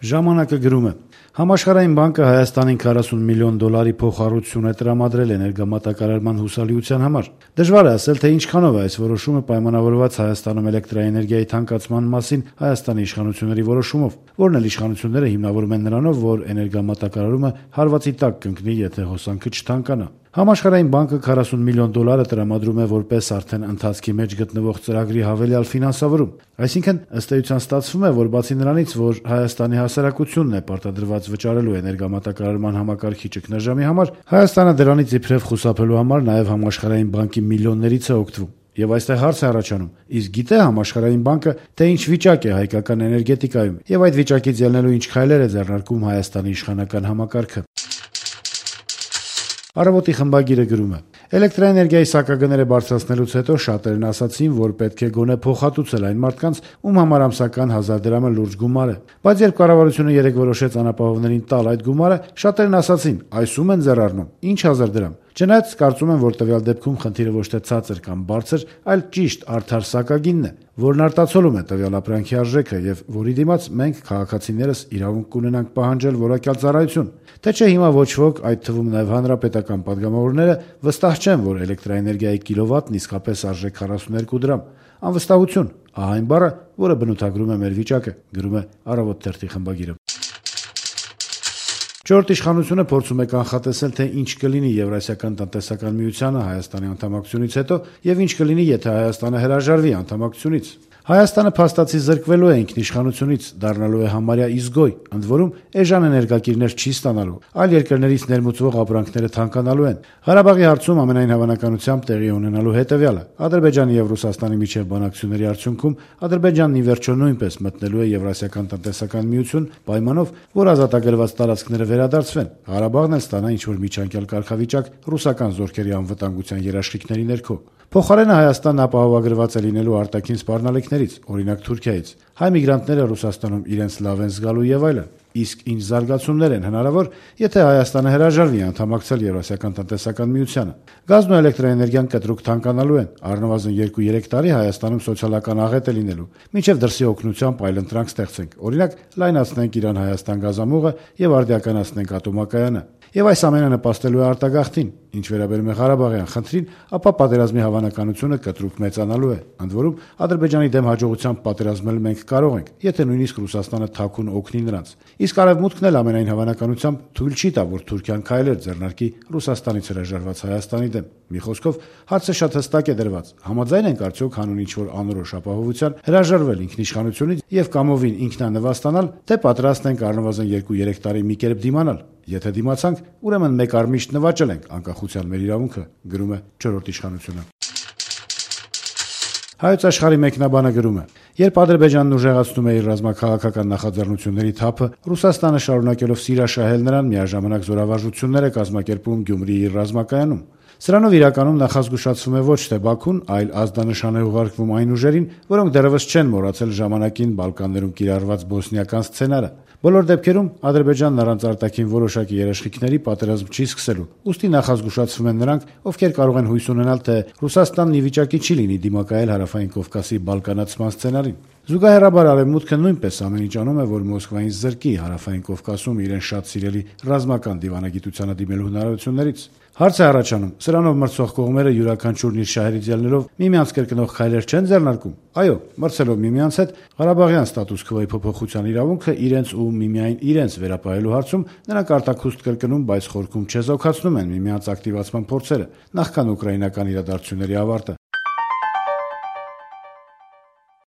Ժամանակը գրում է. Համաշխարհային բանկը Հայաստանին 40 միլիոն դոլարի փոխառություն է տրամադրել էներգամատակարարման հուսալիության համար։ Դժվար է ասել, թե ինչքանով է այս որոշումը պայմանավորված Հայաստանում էլեկտրաէներգիայի թանկացման մասին Հայաստանի իշխանությունների որոշումով, որն էլ իշխանությունները հիմնավորում են նրանով, որ էներգամատակարարումը հարվածի տակ կընկնի, եթե հոսանքը չթանկանա։ Համաշխարհային բանկը 40 միլիոն դոլարը տրամադրում է որպես արդեն ընթացքի մեջ գտնվող ծրագրի հավելյալ ֆինանսավորում։ Այսինքն, ըստ էության ստացվում է, որ բացի նրանից, որ Հայաստանի հասարակությունն է պարտադրված վճարելու էներգամատակարարման համակարգի ճգնաժամի համար, Հայաստանը դրանից իբրև խուսափելու համար նաև Համաշխարհային բանկի միլիոններից է օգտվում։ Եվ այստեղ հարց է առաջանում. իսկ գիտե Համաշխարհային բանկը, թե ինչ վիճակ է հայկական էներգետիկայում, եւ այդ վիճակից ելնելու ինչ քայլեր է ձեռնարկում Հայաստանի իշխանական համակարգը։ Առավոտի խմբագիրը գրում է. Էլեկտրաէներգիայի սակագները բարձրացնելուց հետո շատերն ասացին, որ պետք է գոնե փոխհատուցել այն մարդկանց, ում համար ամսական 1000 դրամը լուրջ գումար է։ Բայց երբ կառավարությունը երեկ որոշեց անապահովներին տալ այդ գումարը, շատերն ասացին, այս ում են ձեռառնում, ինչ 1000 դրամ։ Չնայած կարծում եմ, որ տվյալ դեպքում խնդիրը ոչ թե ցածր կամ բարձր, այլ ճիշտ արդար սակագինն է, որն արտացոլում է տվյալ ապրանքի արժեքը եւ որի դիմաց մենք քաղաքացիներս իրավունք կունենանք պահանջել որակյալ ծառայություն։ Թե չէ հիմա ոչ ոք, այդ թվում նաեւ հանրապետական падգամավորները, վստահ չեն, որ էլեկտրաէներգիայի կիլովատն իսկապես արժե 42 դրամ։ Անվստահություն, ահա այն բառը, որը բնութագրում է մեր վիճակը, գրում է Առավոտ թերթի խմբագիրը։ Չորրորդ իշխանությունը փորձում է կանխատեսել, թե ինչ կլինի Եվրասիական տնտեսական միությանը Հայաստանի անդամակցությունից հետո եւ ինչ կլինի, եթե Հայաստանը հրաժարվի անդամակցությունից։ Հայաստանը փաստացի զրկվելու է ինքնիշխանությունից, դառնալու է համարյա իզգոյ, ընդ որում էժան էներգակիրներ չի ստանալու, այլ երկրներից ներմուծվող ապրանքները թանկանալու են։ Ղարաբաղի հարցում ամենայն հավանականությամբ տեղի ունենալու հետևյալը. Ադրբեջանի եւ Ռուսաստանի միջև բանակցությունների արդյունքում Ադրբեջանն ի վերջո նույնպես մտնելու է Եվրասիական տնտեսական միություն, պայմանով, որ ազատագրված տարածքները վերադարձվեն։ Ղարաբաղն էլ ստանա ինչ-որ միջանկյալ կարգավիճակ ռուսական զորքերի անվտանգության երաշխիքների ներքո։ Փոխարենը Հայաստանն ապահովագրված է լինելու արտաքին սպառնալիքներից, օրինակ Թուրքիայից։ Հայ միգրանտները Ռուսաստանում իրենց լավ են զգալու եւ այլն։ Իսկ ինչ զարգացումներ են հնարավոր, եթե Հայաստանը հրաժարվի անդամակցել Եվրասիական տնտեսական միությանը։ Գազն ու էլեկտրաէներգիան կտրուկ թանկանալու են, առնվազն 2-3 տարի Հայաստանում սոցիալական աղետ է լինելու, մինչև դրսի օգնությամբ այլընտրանք ստեղծենք, օրինակ լայնացնենք Իրան-Հայաստան գազամուղը եւ արդիականացնենք ատոմակայանը։ Եվ այս ամենը նպաստելու է արտագաղթին, ինչ վերաբերում է Ղարաբաղյան խնդրին, ապա պատերազմի հավանականությունը կտրուկ մեծանալու է։ Ընդ որում, Ադրբեջանի դեմ հաջողությամբ պատերազմել մենք կարող ենք, եթե նույնիսկ Ռուսաստանը թաքուն օգնի նրանց։ Իսկ Արևմուտքն էլ ամենայն հավանականությամբ թույլ չի տա, որ Թուրքիան քայլեր ձեռնարկի Ռուսաստանից հրաժարված Հայաստանի դեմ։ Մի խոսքով, հարցը շատ հստակ է դրված. համաձայն ենք արդյոք հանուն ինչ-որ անորոշ ապահովության հրաժարվել ինքնիշխանությունից եւ կամովին ինքնանվաստանալ, թե պատրաստ ենք առնվազն 2-3 տարի մի կերպ դիմանալ։ Եթե դիմացանք, ուրեմն մեկ առմիշտ նվաճել ենք անկախության մեր իրավունքը, գրում է Չորրորդ իշխանությունը։ Հայոց աշխարհի մեկնաբանը գրում է. երբ Ադրբեջանն ուժեղացնում է իր ռազմաքաղաքական նախաձեռնությունների թափը, Ռուսաստանը շարունակելով սիրաշահել նրան միաժամանակ զորավարժություններ է կազմակերպում Գյումրիի իր ռազմակայանում։ Սրանով իրականում նախազգուշացվում է ոչ թե Բաքուն, այլ ազդանշան է ուղարկվում այն ուժերին, որոնք դեռևս չեն մոռացել ժամանակին Բալկաններում կիրառված բոսնիական սցենարը։ Բոլոր դեպքերում Ադրբեջանն առանց արտաքին որոշակի երաշխիքների պատերազմ չի սկսելու, ուստի նախազգուշացվում են նրանք, ովքեր կարող են հույս ունենալ, թե Ռուսաստանն ի վիճակի չի լինի դիմակայել Հարավային Կովկասի բալկանացման սցենարին։ Զուգահեռաբար Արևմուտքը նույնպես ամեն ինչ անում է, որ Մոսկվային զրկի Հարավային Կովկասում իրեն շատ սիրելի ռազմական դիվանագիտությանը դիմելու հնարավորություններից։ Հարց է առաջանում. սրանով մրցող կողմերը յուրաքանչյուրն իր շահերից ելնելով միմյանց կրկնող քայլեր չեն ձեռնարկում։ Այո, մրցելով միմյանց հետ Ղարաբաղյան ստատուս քվոյի փոփոխության իրավունքը իրենց ու միմիայն իրենց վերապահելու հարցում նրանք արտաքուստ կրկնում, բայց խորքում չեզոքացնում են միմյանց ակտիվացման փորձերը, նախքան ուկրաինական իրադարձությունների ավարտը։